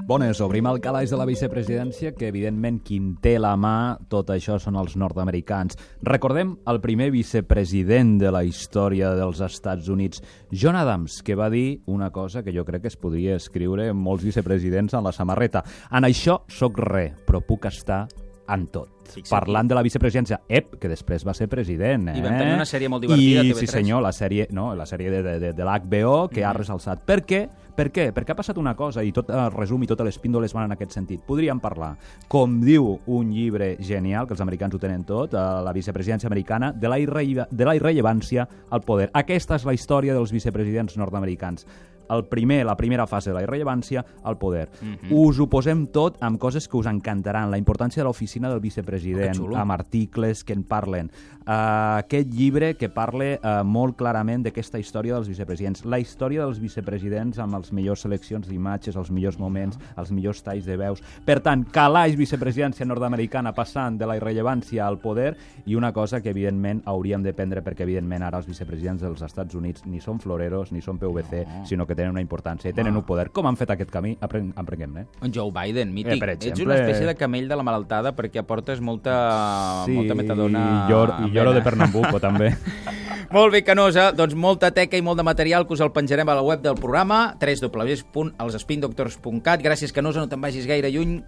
Bones, obrim el calaix de la vicepresidència, que evidentment qui en té la mà, tot això són els nord-americans. Recordem el primer vicepresident de la història dels Estats Units, John Adams, que va dir una cosa que jo crec que es podria escriure en molts vicepresidents en la samarreta. En això soc res, però puc estar en tot. Parlant de la vicepresidència, que després va ser president. I van tenir una sèrie molt divertida a TV3. Sí senyor, la sèrie de l'HBO que ha ressalçat. Per què? Per què? Perquè ha passat una cosa, i tot el resum i totes les píndoles van en aquest sentit. Podríem parlar, com diu un llibre genial, que els americans ho tenen tot, la vicepresidència americana, de la irrellevància al poder. Aquesta és la història dels vicepresidents nord-americans. La primera fase de la irrellevància al poder. Us ho posem tot amb coses que us encantaran. La importància de l'oficina del vicepresident, amb articles que en parlen. Aquest llibre que parla molt clarament d'aquesta història dels vicepresidents. La història dels vicepresidents amb les millors seleccions d'imatges, els millors moments, els millors talls de veus. Per tant, calaix vicepresidència nord-americana passant de la irrellevància al poder, i una cosa que evidentment hauríem de prendre, perquè evidentment ara els vicepresidents dels Estats Units ni són floreros ni són PVC, sinó que tenen una importància i tenen un poder. Com han fet aquest camí? Aprenguem-ne. En Joe Biden, mític. Ets una espècie de camell de la malaltada perquè aportes molta metadona... I lloro de Pernambuco, també. Molt bé, Canosa. Doncs molta teca i molt de material que us el penjarem a la web del programa, www.elsspindoctors.cat. Gràcies, Canosa, no te'n vagis gaire lluny.